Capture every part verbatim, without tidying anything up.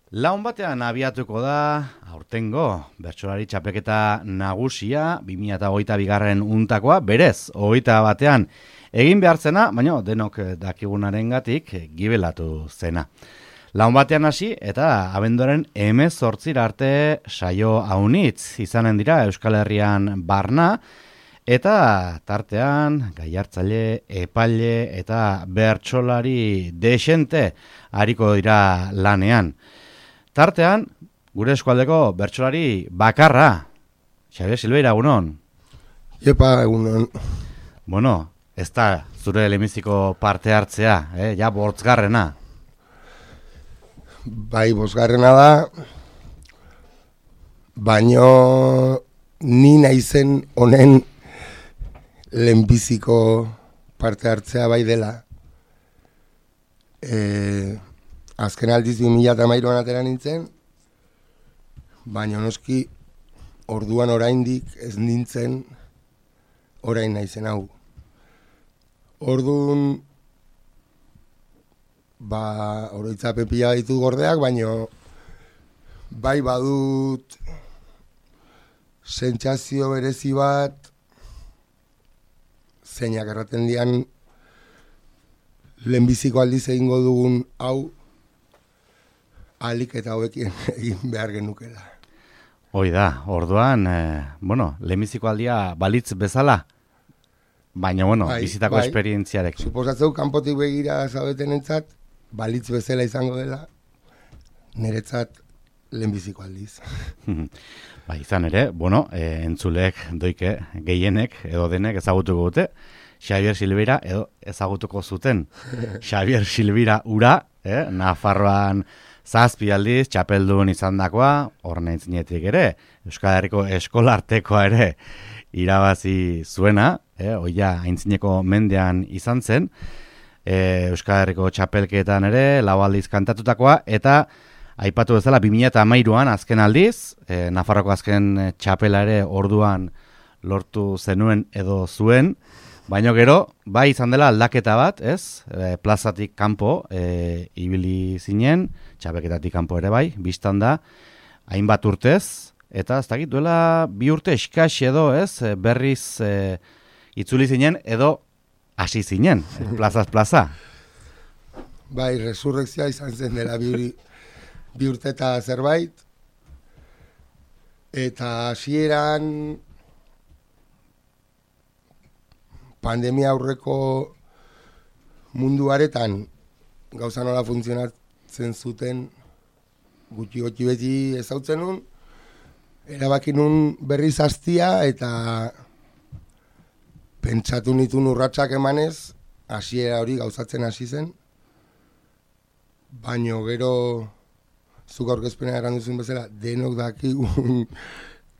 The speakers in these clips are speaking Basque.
Laun batean abiatuko da, aurtengo, bertsolari txapelketa nagusia, bi mila hogeita bigarren untakoa, berez, hogeita batean egin behartzena, baina denok dakigunarengatik gibelatu zena. Laun batean hasi eta abenduaren hemezortzira arte saio haunitz izanen dira Euskal Herrian barna, eta tartean gaiartzaile, epaile eta bertsolari desente hariko dira lanean. Tartean, gure eskualdeko bertsolari bakarra, Xabier Silveira, egunon. Iepa, egunon. Bueno, ez da zure lemiziko parte hartzea, eh? Ja, bortzgarrena. Bai, bosgarrena da, baino ni naizen honen lehenbiziko parte hartzea bai dela. E, azken aldiz bi mila hamairuan atera nintzen, baina noski orduan oraindik ez nintzen orain naizen hau. Orduan, ba, oroitzapen pila ditu gordeak, baina bai badut sentsazio berezi bat, zeinak erraten dian lehenbiziko aldiz egingo dugun hau alik eta hobekien egin behar genukela. Hoi da, orduan, eh, bueno, lehenbiziko aldia balitz bezala, baina, bueno, bai, bizitako bai, esperientziarek. Suposatzeu, kanpotik begira zaudetenentzat, balitz bezala izango dela, niretzat lehenbiziko aldiz. Ba, izan ere, bueno, e, entzulek, doike, gehienek, edo denek ezagutuko dute, Xabier Silveira edo ezagutuko zuten. Xabier Silveira ura, eh, Nafarroan zazpi aldiz, txapeldun izan dakoa, horne intzinetik ere, Euskal Herriko eskolartekoa ere irabazi zuena, eh, oia aintzineko mendean izan zen, eh, Euskal Herriko txapelketan ere, lau aldiz kantatutakoa, eta aipatu bezala, bi mila hamairuan azken aldiz, eh, Nafarroko azken txapela ere orduan lortu zenuen edo zuen, baina gero, bai izan dela aldaketa bat, ez? E, plazatik kanpo e, ibili zinen, txapelketatik kanpo ere bai, biztan da, hainbat urtez, eta ez dakit duela bi urte eskas edo, ez? E, berriz e, itzuli zinen edo hasi zinen, plazaz plaza. Bai, resurrekzioa izan zen dela bi, bi urte eta zerbait, eta hasieran pandemia aurreko munduaretan gauza nola funtzionatzen zuten gutxi gutxi beti ezautzen nun, erabaki nun berriz hastia eta pentsatu nituen urratsak emanez, hasiera hori gauzatzen hasi zen, baino gero zuk aurkezpena eran duzun bezala, denok dakigun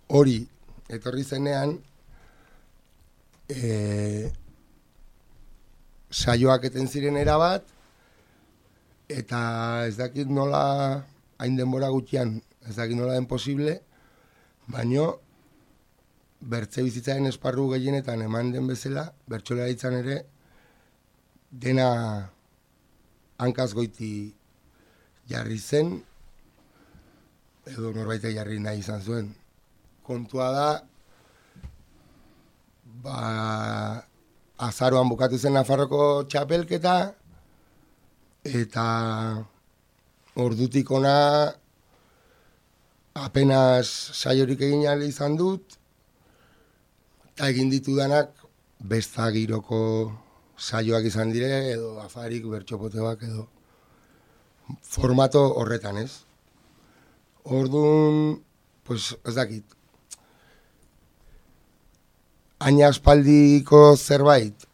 hori etorri zenean, E, saioak eten ziren erabat, eta ez dakit nola hain denbora gutxian, ez dakit nola den posible, baino bertze bizitzaren esparru gehienetan eman den bezala, bertsolaritzan ere dena hankaz goiti jarri zen, edo norbait jarri nahi izan zuen. Kontua da, ba, azaroan bukatu zen Nafarroko txapelketa, eta ordutik ona apenas saiorik egin ahal izan dut, eta egin ditudanak besta giroko saioak izan dire, edo afarik, bertxopoteak, edo formato horretan, ez? Orduan, pues, ez dakit, aina aspaldiko zerbait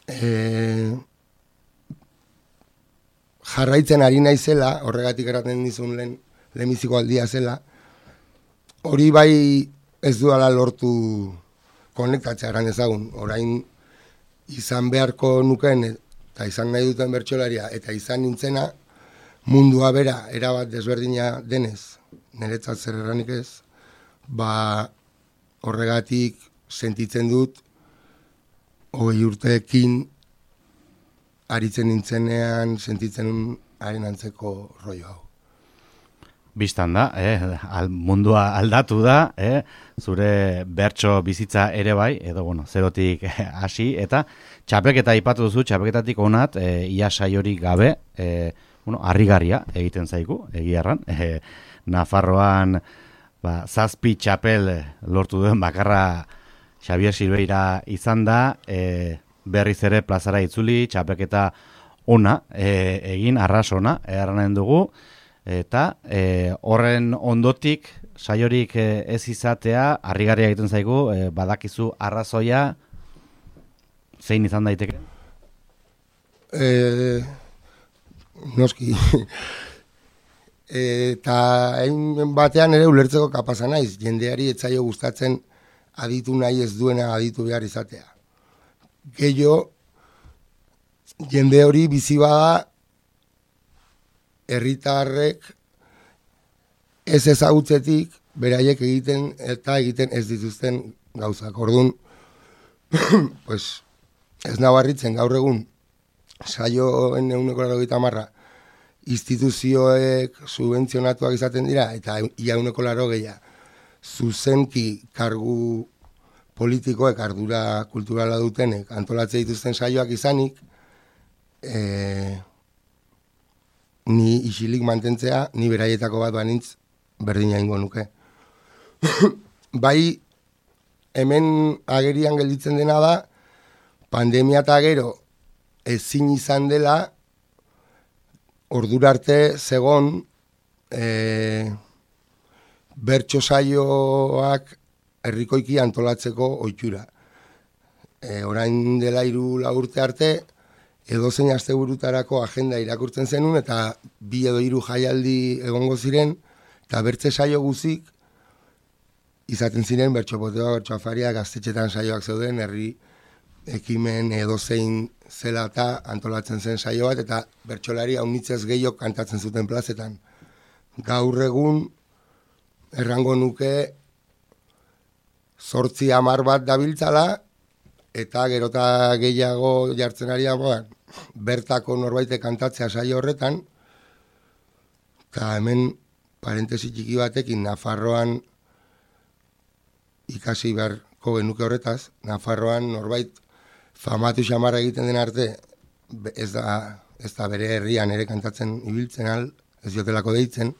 e, jarraitzen ari naizela, horregatik eraten dizun lehen lehenbiziko aldia zela, hori bai ez duala lortu konektatzea eran ezagun, orain izan beharko nuken eta izan nahi duten bertsolaria eta izan nintzena mundua bera erabat desberdina denez, niretzat zer erranik ez, ba horregatik sentitzen dut hogei urteekin aritzen nintzenean sentitzen haren antzeko rollo hau. Bistan da, eh, al, mundua aldatu da, eh, zure bertso bizitza ere bai, edo bueno, zerotik hasi, eta txapelketa aipatu duzu, txapelketatik onat, eh, ia saiorik gabe, eh, bueno, harrigarria egiten zaigu, egiarran, eh, Nafarroan ba, zazpi txapel lortu duen bakarra Xabier Silveira izan da, eh, berriz ere plazara itzuli, txapelketa ona, eh, egin arras ona, erranen dugu, eta e, horren ondotik saiorik e, ez izatea harrigarria egiten zaigu, e, badakizu arrazoia zein izan daiteke? E, noski eta hain batean ere ulertzeko kapasa naiz, jendeari etzaio gustatzen aditu nahi ez duena aditu behar izatea. Gehiago jende hori bizi bada herritarrek ez ezagutzetik beraiek egiten eta egiten ez dituzten gauzak. Orduan, pues, ez nabarritzen gaur egun saioen ehuneko laurogeita hamar instituzioek subentzionatuak izaten dira eta ia ehuneko laurogeia zuzenki kargu politikoek ardura kulturala dutenek antolatzen dituzten saioak izanik, eh, ni isilik mantentzea, ni beraietako bat banintz berdina ingo nuke. Bai, hemen agerian gelditzen dena da, pandemia eta gero ezin izan dela, ordura arte zegon e, bertso saioak herrikoiki antolatzeko ohitura. E, orain dela hiru lau urte arte, edozein asteburutarako agenda irakurtzen zenun eta bi edo hiru jaialdi egongo ziren eta bertze saio guzik izaten ziren bertsopotea, bertsoafaria, gaztetxetan saioak zeuden, herri ekimen edozein zela eta antolatzen zen saio bat eta bertsolari haunitzez gehiok kantatzen zuten plazetan. Gaur egun errango nuke zortzi hamar bat dabiltzala eta gerota gehiago jartzen ari dagoan bertako norbaitek kantatzea saio horretan, eta hemen parentesi txiki batekin Nafarroan ikasi beharko genuke horretaz, Nafarroan norbait famatu xamarra egiten den arte, ez da, ez da bere herrian ere kantatzen ibiltzen al, ez jotelako deitzen,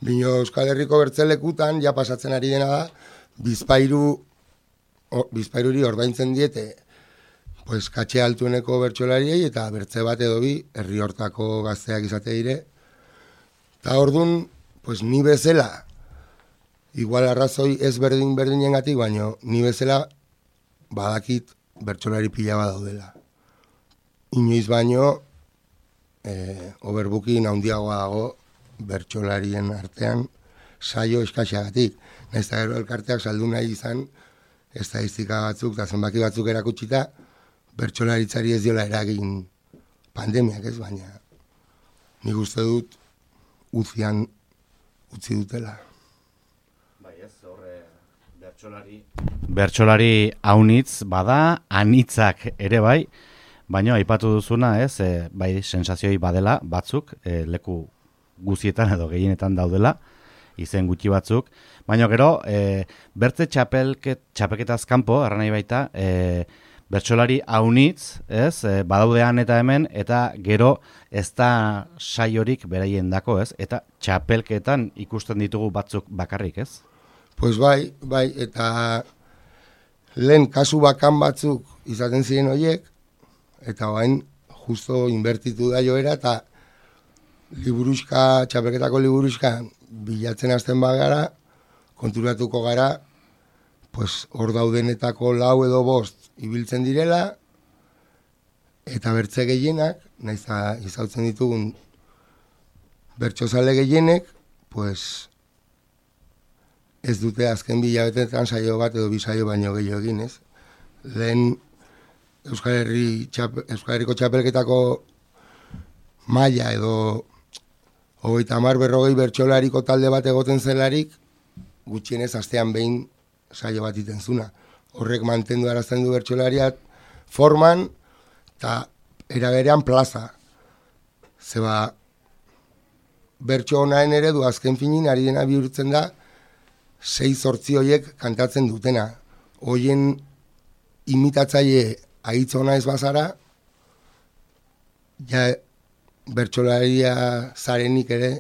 bino Euskal Herriko bertzelekutan, ja pasatzen ari dena da, bizpairu, o, bizpairuri ordaintzen diete, pues, katxe altueneko bertsolariei eta bertze bat edo bi herri hortako gazteak izate dire. Eta orduan, pues, ni bezala, igual arrazoi ez berdin berdinengatik, baino ni bezala badakit bertsolari pila bat daudela. Inoiz baino, eh, overbooking handiagoa dago bertsolarien artean saio eskaxagatik. Naiz eta gero elkarteak saldu nahi izan, estadistika batzuk eta zenbaki batzuk erakutsita, bertsolaritzari ez diola eragin pandemiak ez, baina nik uste dut uzian utzi dutela. Bai ez, horre bertsolari... Bertsolari haunitz bada, anitzak ere bai, baina aipatu duzuna ez, e, bai sensazioi badela batzuk, e, leku guzietan edo gehienetan daudela, izen gutxi batzuk, baina gero, e, bertze txapelket, txapelketaz kanpo, erran nahi baita, e, bertsolari haunitz, ez, e, badaudean eta hemen, eta gero ez da saiorik beraien dako, ez, eta txapelketan ikusten ditugu batzuk bakarrik, ez? Pues bai, bai, eta lehen kasu bakan batzuk izaten ziren horiek, eta bain justo inbertitu da joera, eta liburuska, txapelketako liburuska bilatzen hasten bagara, konturatuko gara, pues hor daudenetako lau edo bost ibiltzen direla, eta bertze gehienak, nahiz izautzen ditugun bertsozale gehienek, pues ez dute azken bilabetetan saio bat edo bi saio baino gehiago egin, ez? Lehen Euskal Herri Euskal Herriko txapelketako maila edo hogeita hamar berrogei bertsolariko talde bat egoten zelarik, gutxienez astean behin saio bat iten zuna. Horrek mantendu arazten du bertsolariat forman eta eraberean plaza. Zeba bertso honaen eredu azken finin ari dena bihurtzen da sei zortzi horiek kantatzen dutena. Hoien imitatzaile ahitz ona ez bazara, ja bertsolaria zarenik ere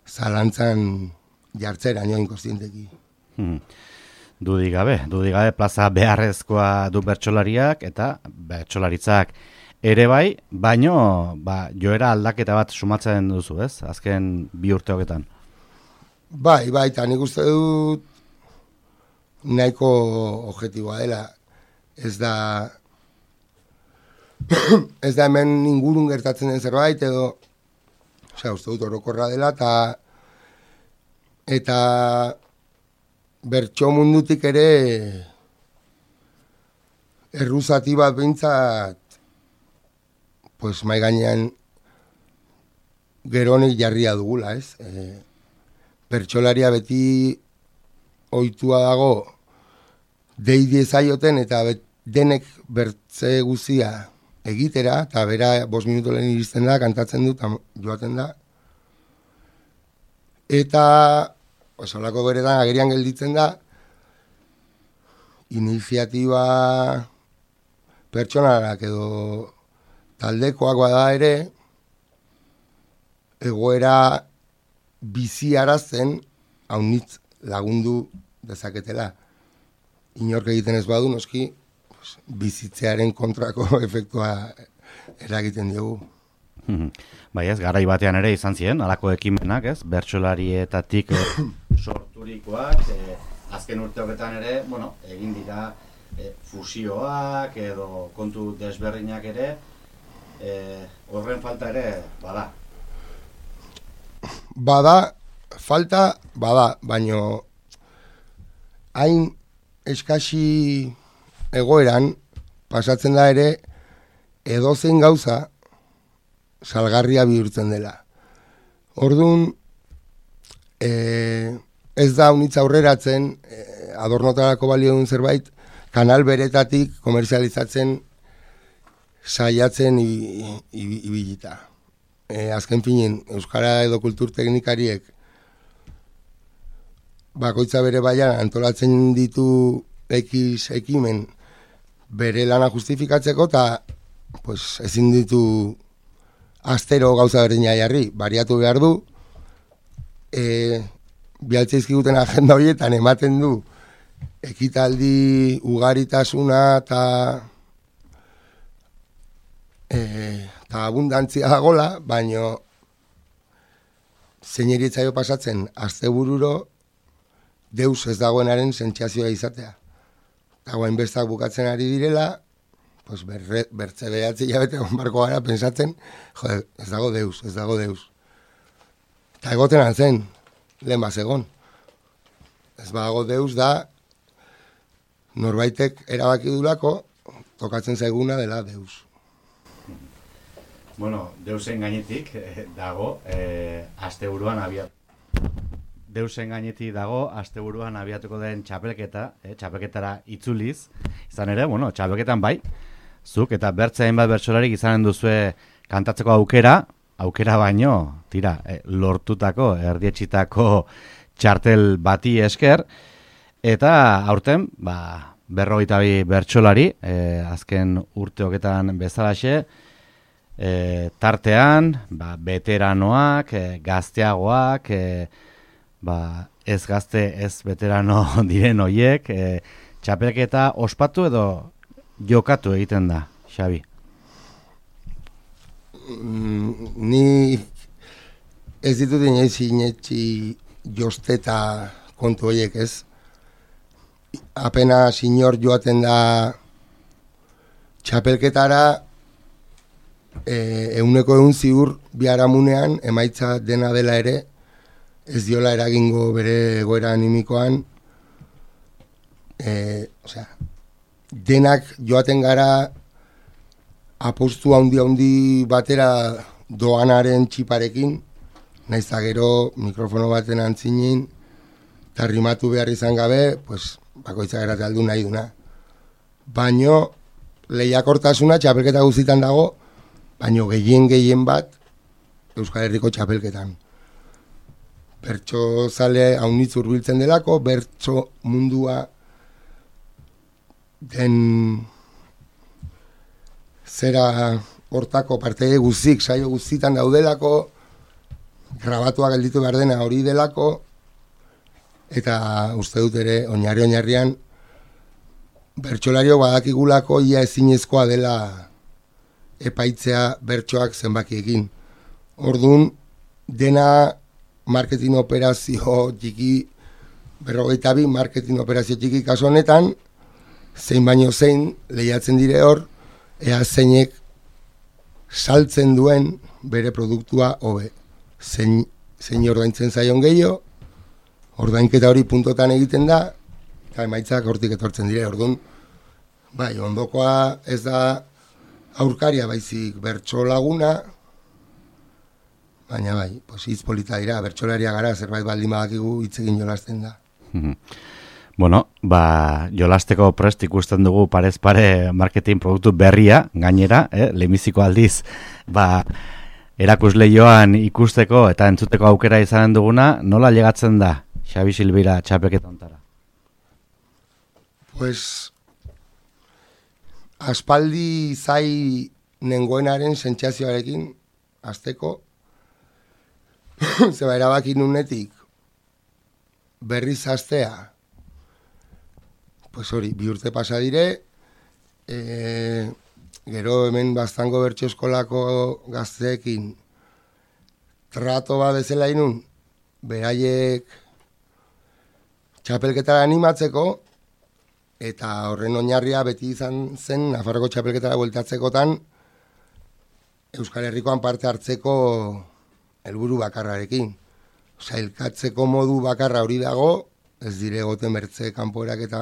zalantzan jartzera nioin kostienteki. Hmm. Dudik gabe, dudik gabe plaza beharrezkoa du bertsolariak eta bertsolaritzak ere bai, baino ba, joera aldaketa bat sumatzen duzu, ez? Azken bi urte hogetan. Bai, bai, eta nik uste dut nahiko objektiboa dela. Ez da ez da hemen ingurun gertatzen den zerbait edo osea, uste dut orokorra dela eta eta bertso mundutik ere erruzati bat behintzat pues mai gainean geronik jarria dugula, ez? E, bertsolaria beti ohitua dago dei diezaioten eta bet, denek bertze guzia egitera, eta bera bost minuto lehen iristen da, kantatzen du, joaten da. Eta osolako beretan agerian gelditzen da, iniziatiba pertsonalak edo taldekoak bada ere, egoera biziarazten haunitz lagundu dezaketela. Inork egiten ez badu, noski, pues, bizitzearen kontrako efektua eragiten diogu. Bai ez, garai batean ere izan ziren, halako ekimenak, ez? Bertsolarietatik eh, sorturikoak, eh, azken urteoketan ere, bueno, egin dira eh, fusioak edo kontu desberdinak ere, eh, horren falta ere bada. Bada, falta, bada, baino hain eskasi egoeran pasatzen da ere edozein gauza salgarria bihurtzen dela. Orduan, e, ez da unitz aurreratzen, e, adornotarako balio duen zerbait, kanal beretatik komerzializatzen saiatzen ibilita. E, azken finen, Euskara edo kultur teknikariek bakoitza bere baian antolatzen ditu X ekimen bere lana justifikatzeko eta pues, ezin ditu astero gauza berdina jarri, bariatu behar du, e, bialtzeizkiguten agenda horietan ematen du ekitaldi ugaritasuna eta eta abundantzia dagola, baino zeineritzaio pasatzen astebururo deus ez dagoenaren sentsazioa izatea. Eta guain bestak bukatzen ari direla, pues berre, bertze behatzi jabete onbarko gara pensatzen, jode, ez dago deus, ez dago deus. Eta egoten antzen, lehen bazegon. Ez badago deus da, norbaitek erabaki dulako, tokatzen zaiguna dela deus. Bueno, deusen gainetik eh, dago, eh, asteburuan abiat. Deusen gainetik dago, asteburuan abiatuko den txapelketa, eh, txapelketara itzuliz. Izan ere, bueno, txapelketan bai, zuk eta bertze hainbat bertsolarik izanen duzue kantatzeko aukera, aukera baino, tira, eh, lortutako, erdietxitako txartel bati esker, eta aurten, ba, berrogeita bi bertsolari, eh, azken urteoketan bezalaxe, E, tartean, ba, veteranoak, e, gazteagoak, e, ba, ez gazte, ez veterano diren hoiek, e, txapelketa ospatu edo jokatu egiten da, Xabi? Mm, ni ez ditut inoiz inetxi josteta kontu horiek, ez? Apenas inor joaten da txapelketara, E, euneko egun ziur biharamunean emaitza dena dela ere ez diola eragingo bere egoera animikoan, e, osea, denak joaten gara apostu handi handi batera doanaren txiparekin, naiz eta gero mikrofono baten antzinin eta rimatu behar izan gabe, pues, bakoitza gerate aldu nahi duna. Baino lehiakortasuna txapelketa guztitan dago, baino gehien gehien bat Euskal Herriko txapelketan. bertso zale haunitz hurbiltzen delako, bertso mundua den zera hortako partide guztik, saio guztitan daudelako, grabatua gelditu behar dena hori delako, eta uste dut ere, oinarri oinarrian, bertsolario badakigulako ia ezinezkoa dela epaitzea bertsoak zenbakiekin. Orduan, dena marketing operazio txiki, berrogeita bi marketing operazio txiki kaso honetan, zein baino zein lehiatzen dire hor, ea zeinek saltzen duen bere produktua hobe. Zein, zein ordaintzen zaion gehiago, ordainketa hori puntotan egiten da, eta emaitzak hortik etortzen dire. Orduan, bai, ondokoa ez da aurkaria baizik bertso laguna, baina bai, pues, hitz polita dira, bertsolaria gara, zerbait baldin badakigu hitz egin jolasten da. Bueno, ba, jolasteko prest ikusten dugu parez pare marketing produktu berria, gainera, eh, lehenbiziko aldiz, ba, erakusleioan ikusteko eta entzuteko aukera izanen duguna, nola llegatzen da Xabi Silveira txapelketa hontara? Pues, aspaldi zai nengoenaren sentsazioarekin hasteko, zeba erabaki nunetik berriz hastea, pues hori, bi urte pasa dire, e, gero hemen Baztango bertso eskolako gazteekin trato bat bezala inun, beraiek txapelketara animatzeko, eta horren oinarria beti izan zen Nafarroko txapelketara bueltatzekotan Euskal Herrikoan parte hartzeko helburu bakarrarekin. Sailkatzeko modu bakarra hori dago, ez dire goten bertze kanpoerak eta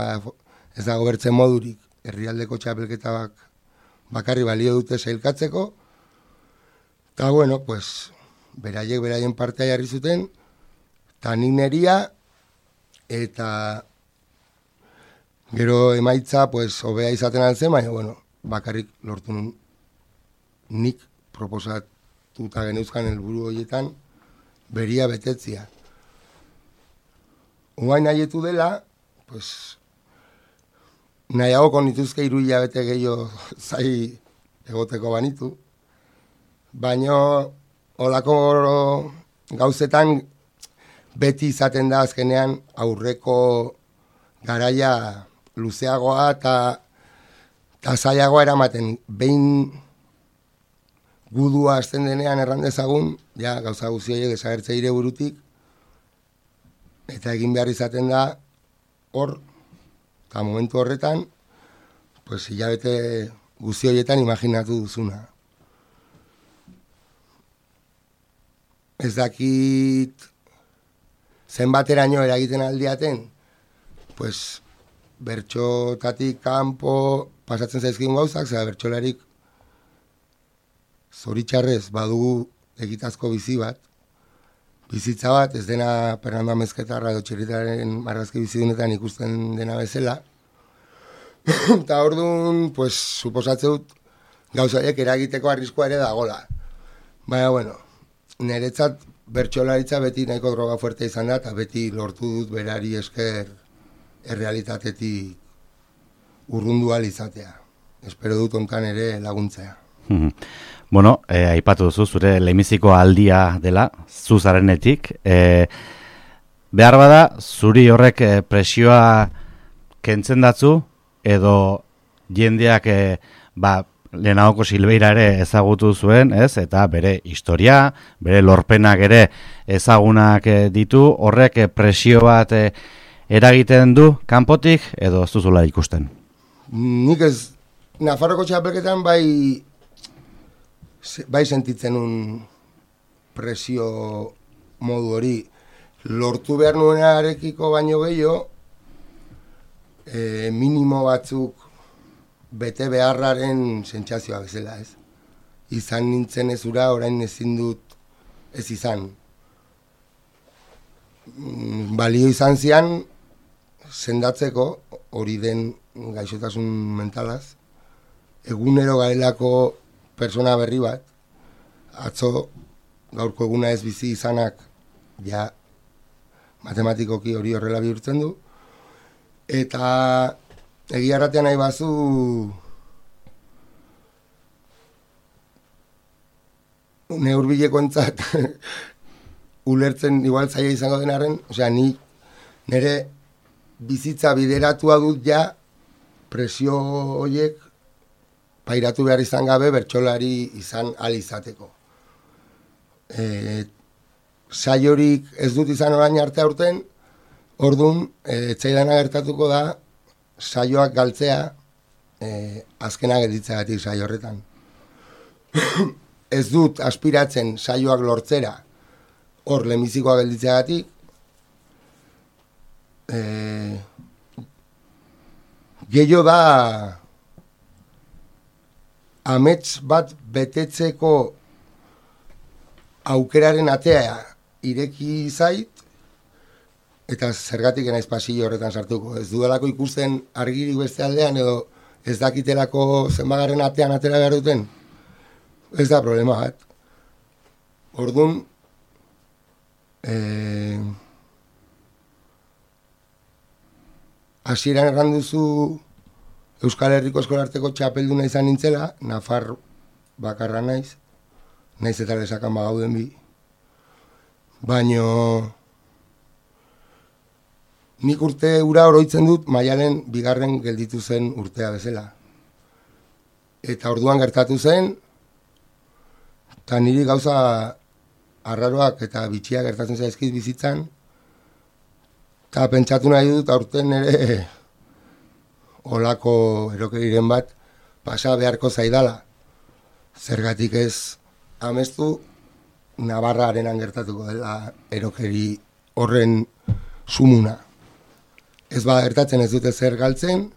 ez dago bertzen modurik, herrialdeko txapelketak bakarri balio dute sailkatzeko, eta bueno, pues, beraiek beraien partea jarri zuten, eta nik neria, eta gero emaitza, pues, hobea izaten altzen, baina, bueno, bakarrik lortu nun nik proposatuta geneuzkan helburu horietan beria betetzia. Uain nahietu dela, pues, nahiago konituzke hiru hilabete gehiago zai egoteko banitu, baina olako gauzetan beti izaten da azkenean aurreko garaia luzeagoa eta ta zailagoa eramaten. Behin gudua hasten denean errandezagun, ja, gauza guzioiek desagertze ire burutik, eta egin behar izaten da hor, eta momentu horretan, pues, hilabete guzioietan imaginatu duzuna. Ez dakit zenbateraino eragiten aldiaten, pues, bertxotatik kanpo pasatzen zaizkigun gauzak, zera bertxolarik zoritxarrez badugu egitazko bizi bat, bizitza bat, ez dena Fernando Amezketarra edo Txirritaren marrazki bizidunetan ikusten dena bezala. Eta orduan, pues, suposatze dut gauzaiek eragiteko arriskoa ere dagola. Baina, bueno, niretzat bertsolaritza beti nahiko droga fuerte izan da, eta beti lortu dut berari esker errealitatetik urrundu ahal izatea. Espero dut ontan ere laguntzea. Bueno, eh, aipatu duzu, zure lehenbiziko aldia dela, zu zarenetik. Eh, behar bada, zuri horrek eh, presioa kentzen datzu, edo jendeak eh, ba, lehenagoko Silveira ere ezagutu zuen, ez? Eta bere historia, bere lorpenak ere ezagunak eh, ditu, horrek eh, presio bat eh, eragiten du kanpotik, edo ez duzula ikusten? Nik ez, Nafarroko txapelketan bai bai sentitzen un presio modu hori. Lortu behar nuenarekiko baino gehiago, e, minimo batzuk bete beharraren sentsazioa bezala, ez? Izan nintzen ezura, orain ezin dut ez izan. Balio izan zian, sendatzeko, hori den gaixotasun mentalaz, egunero garelako persona berri bat, atzo gaurko eguna ez bizi izanak, ja matematikoki hori horrela bihurtzen du. Eta egia erratean nahi bazu neurbilekoentzat ulertzen igual zaila izango denaren, osea, ni nire bizitza bideratua dut ja presio horiek pairatu behar izan gabe bertsolari izan ahal izateko. E, saiorik ez dut izan orain arte aurten, orduan, e, etzaidana gertatuko da saioak galtzea e, azkena gelditzeagatik saio horretan. Ez dut aspiratzen saioak lortzera hor lemizikoa gelditzeagatik, e, gehiago da amets bat betetzeko aukeraren atea ireki zait, eta zergatik naiz pasillo horretan sartuko. Ez dudalako ikusten argirik beste aldean, edo ez dakitelako zenbagarren atean atera behar duten. Ez da problema bat. Orduan, eh, hasieran erran duzu Euskal Herriko Eskolarteko txapelduna izan nintzela, Nafar bakarra naiz, naiz eta lesakan bagauden bi. Baino nik urte ura oroitzen dut Maialen bigarren gelditu zen urtea bezala. Eta orduan gertatu zen, eta niri gauza arraroak eta bitxiak gertatzen zaizkit bizitzan, eta pentsatu nahi dut aurten ere olako erokeriren bat pasa beharko zaidala. Zergatik ez amestu Navarrarenan gertatuko dela erokeri horren sumuna. Ez ba gertatzen ez dute zer galtzen,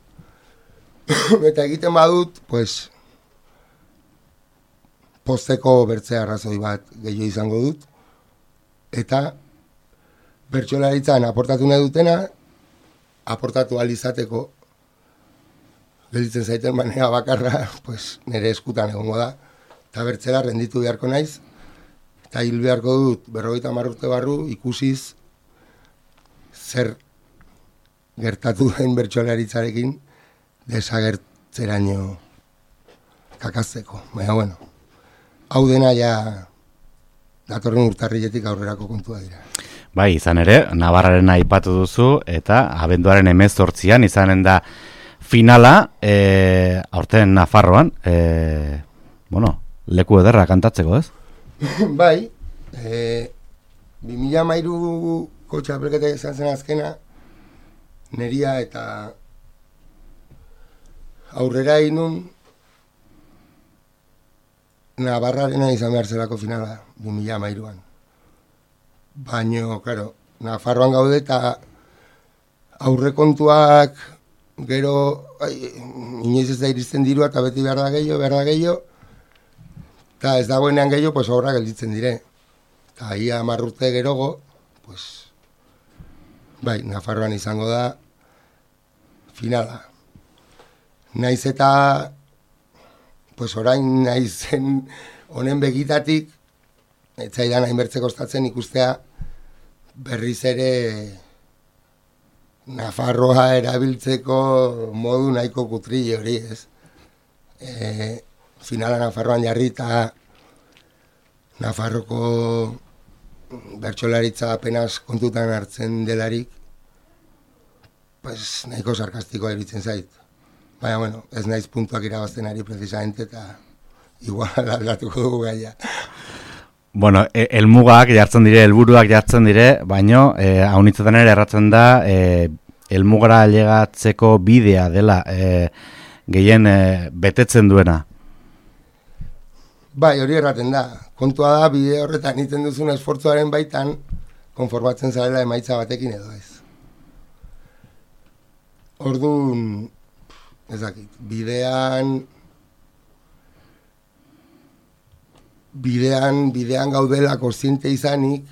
eta egiten badut, pues, posteko bertze arrazoi bat gehiago izango dut, eta bertsolaritzan aportatu nahi dutena, aportatu ahal izateko, gelditzen zaiten manera bakarra, pues, nire eskutan egongo da, eta bertzela renditu beharko naiz, eta hil beharko dut berrogeita hamar urte barru ikusiz zer gertatu den bertsolaritzarekin desagertzeraino kakazteko. Baina, bueno, hau dena ja datorren urtarriletik aurrerako kontua dira. Bai, izan ere, Navarraren aipatu duzu, eta abenduaren hemezortzian izanen da finala, e, aurten Nafarroan, e, bueno, leku ederra kantatzeko, ez? Bai, e, bi mila hamairuko txapelketa izan zen azkena, neria eta aurrera inun Navarrarena izan behar zelako finala, bi mila hamairuan. Baina, claro, Nafarroan gaude eta aurrekontuak gero, ai, inoiz ez da iristen dirua eta beti behar da gehiago, behar da gehiago, eta ez dagoenean gehiago, pues aurra gelditzen dire. Eta ia hamar urte gerogo, pues, bai, Nafarroan izango da finala. Naiz eta, pues orain naizen honen begitatik, ez zaidan hainbertze kostatzen ikustea berriz ere Nafarroa erabiltzeko modu nahiko kutrile hori, ez? E, finala Nafarroan jarri eta Nafarroko bertsolaritza apenas kontutan hartzen delarik, pues nahiko sarkastikoa iruditzen zait. Baina, bueno, ez naiz puntuak irabazten ari precisamente eta igual aldatuko dugu gaia. Bueno, helmugak jartzen dire, helburuak jartzen dire, baino, eh, haunitzetan ere erratzen da, eh, helmugara ailegatzeko bidea dela eh, gehien eh, betetzen duena. Bai, hori erraten da. Kontua da, bide horretan egiten duzun esfortzuaren baitan, konformatzen zarela emaitza batekin edo ez. Orduan, ez dakit, bidean... Bidean, bidean gaudela kontziente izanik,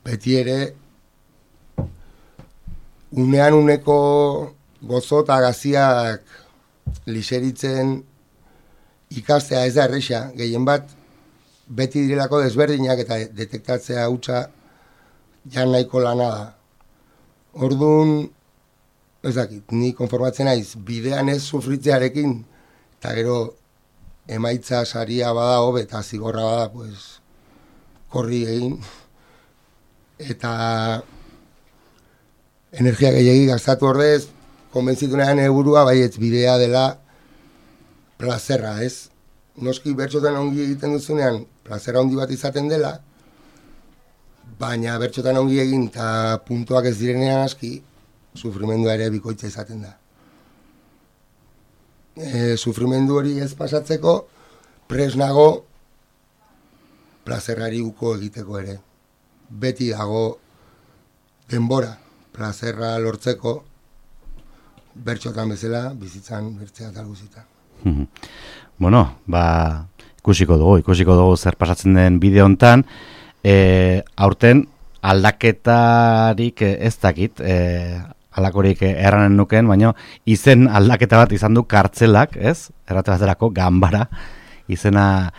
beti ere, unean uneko gozo eta gaziak liseritzen ikastea ez da erresa, gehien bat, beti direlako desberdinak eta detektatzea hutsa, ja nahiko lana da. Orduan, ez dakit, ni konformatzen naiz, bidean ez sufritzearekin, eta gero emaitza saria bada hobe eta zigorra bada, pues, korri egin, eta energia gehiagi gastatu ordez, konbentzitu nahan helburua baietz bidea dela plazerra, ez? Noski bertxotan ongi egiten duzunean, plazerra handi bat izaten dela, baina bertxotan ongi egin eta puntuak ez direnean aski, sufrimendua ere bikoitza izaten da. E, sufrimendu hori ez pasatzeko, pres nago plazerrari uko egiteko ere. Beti dago denbora plazerra lortzeko, bertxotan bezala, bizitzan bertzea talguzita. Bueno, ba, ikusiko dugu, ikusiko dugu zer pasatzen den bideo hontan, e, aurten aldaketarik ez dakit, e, alakorik erranen nuken, baina izen aldaketa bat izan du kartzelak, ez? Errate baterako, Ganbara, izena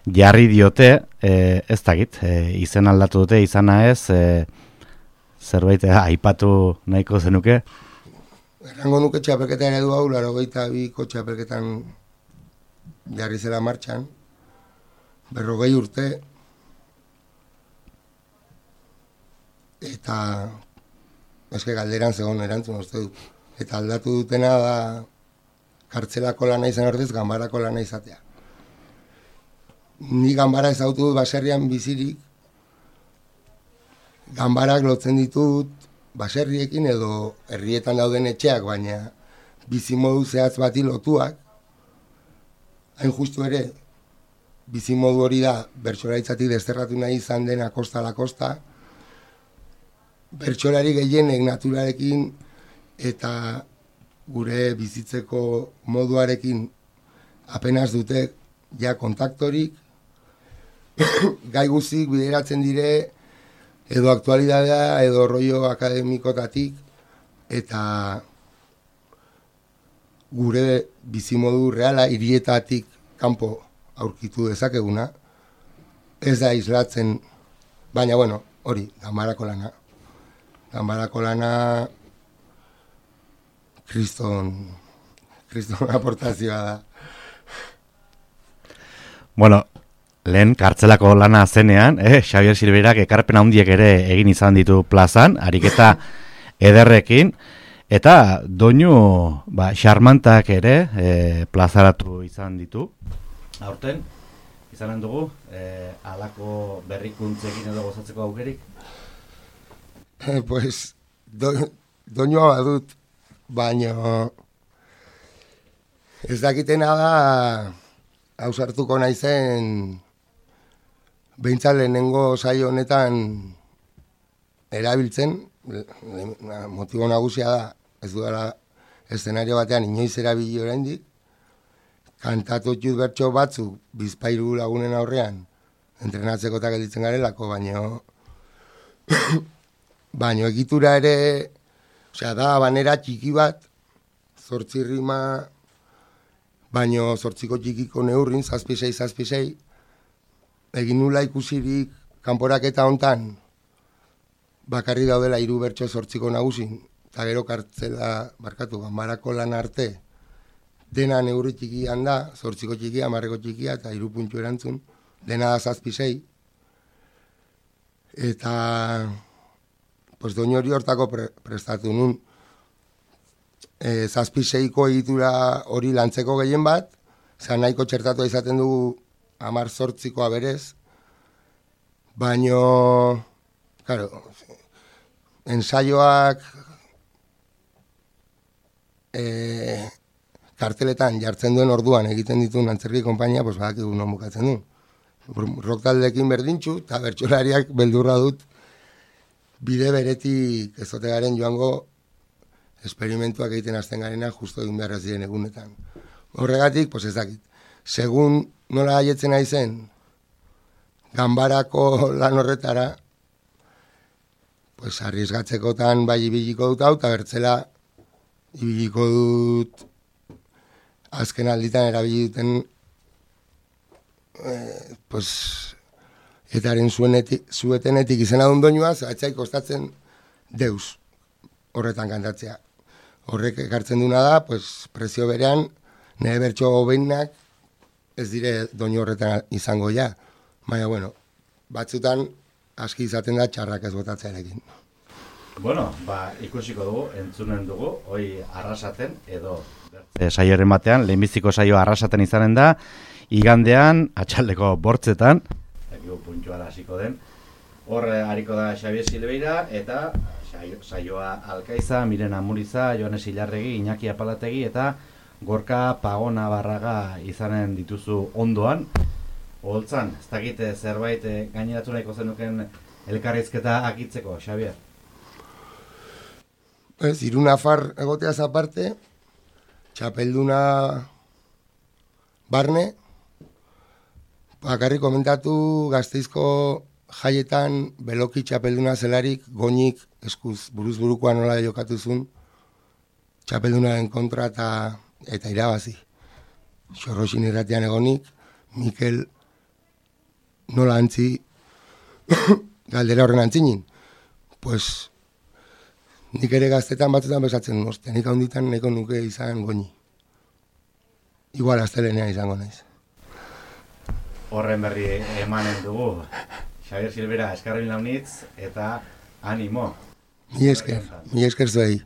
jarri diote, e, ez dakit, e, izen aldatu dute, izana ez, e, zerbait e, aipatu nahiko zenuke? Errango nuke txapelketa eredu hau, larogeita biko txapelketan jarri zela martxan, berrogei urte, eta eske galderan zegoen erantzun uste dut. Eta aldatu dutena da kartzelako lana izan ordez, Ganbarako lana izatea. Ni Ganbara ezautu dut baserrian bizirik, Ganbarak lotzen ditut baserriekin edo herrietan dauden etxeak, baina bizimodu zehatz bati lotuak, hain justu ere, bizimodu hori da bertsolaritzatik desterratu nahi izan dena kosta la kosta, bertsolari gehienek naturarekin eta gure bizitzeko moduarekin apenas dute ja kontaktorik, gai guzik bideratzen dire edo aktualidadea edo rollo akademikotatik eta gure bizimodu reala hirietatik kanpo aurkitu dezakeguna, ez da islatzen, baina bueno, hori, Ganbarako lana. Ganbarako lana kriston, kriston aportazioa da. Bueno, lehen kartzelako lana zenean, eh, Xabier Silveirak ekarpen handiek ere egin izan ditu plazan, ariketa ederrekin, eta doinu ba, xarmantak ere eh, plazaratu izan ditu. Aurten, izanen dugu, eh, alako berrikuntzekin edo gozatzeko aukerik? Eh, pues, do, doinua badut, baina ez dakitena da ausartuko naizen behintzat lehenengo saio honetan erabiltzen, motibo nagusia da, ez dudala eszenario batean inoiz erabili oraindik, kantatu jut bertso batzuk bizpairu lagunen aurrean entrenatzeko eta gelditzen garelako, baina baina egitura ere, osea, da banera txiki bat, zortzi rima, baina zortziko txikiko neurrin, zazpisei, zazpisei, egin nula ikusirik kanporaketa hontan, bakarri daudela hiru bertso zortziko nagusin, eta gero kartzela, barkatu, Ganbarako lan arte, dena neurri txikian da, zortziko txikia, hamarreko txikia, eta hiru puntu erantzun, dena da zazpisei, eta pues doinu hori hortako pre, prestatu nun, e, zazpiseiko egitura hori lantzeko gehien bat, zan nahiko txertatu izaten dugu hamar zortzikoa berez, baino, claro, ensaioak e, karteletan jartzen duen orduan egiten dituen antzerki konpainia, pues badakigu non bukatzen du. Rock taldeekin berdintxu, eta bertsolariak beldurra dut bide beretik ezote garen joango esperimentuak egiten hasten garena justo egin behar ez diren egunetan. Horregatik, pues ez dakit. Segun nola haietzen naizen Ganbarako lan horretara, pues arriesgatzekotan bai ibiliko dut hau, eta bertzela ibiliko dut azken alditan erabili duten eh, pues eta haren zuenetik, zuetenetik izena duen doinua, atxai kostatzen deus horretan kantatzea. Horrek ekartzen duna da, pues, prezio berean, nire bertso hobeinak ez dire doinu horretan izango ja. Baina, bueno, batzutan aski izaten da txarrak ez botatzearekin. Bueno, ba, ikusiko dugu, entzunen dugu, hoi arrasaten, edo e, saioaren batean, lehenbiziko saioa arrasaten izanen da, igandean, atxaldeko bortzetan, ekigu puntxoa hasiko den, hor hariko da Xabier Silveira, eta saioa Alkaiza, Mirena Muriza, Joanes Ilarregi, Iñaki Apalategi, eta Gorka Pagona Barraga izanen dituzu ondoan. Holtzan, ez dakite zerbait gaineratu nahiko zenuken elkarrizketa akitzeko, Xabier? Ez, Iruna Far egoteaz aparte, txapelduna barne, bakarrik komentatu Gasteizko jaietan beloki txapelduna zelarik, goinik eskuz buruz burukoa nola jokatuzun, txapeldunaren kontra eta, eta irabazi. Xorroxin irratian egonik, Mikel nola antzi, galdera horren antzinin. Pues, nik ere gaztetan batzutan besatzen duzte, nik handitan nahiko nuke izan goini. Igual astelenean izango naiz. Horren berri emanen dugu. Xabier Silveira, eskarrin launitz eta animo. Mi esker, mi esker zuei.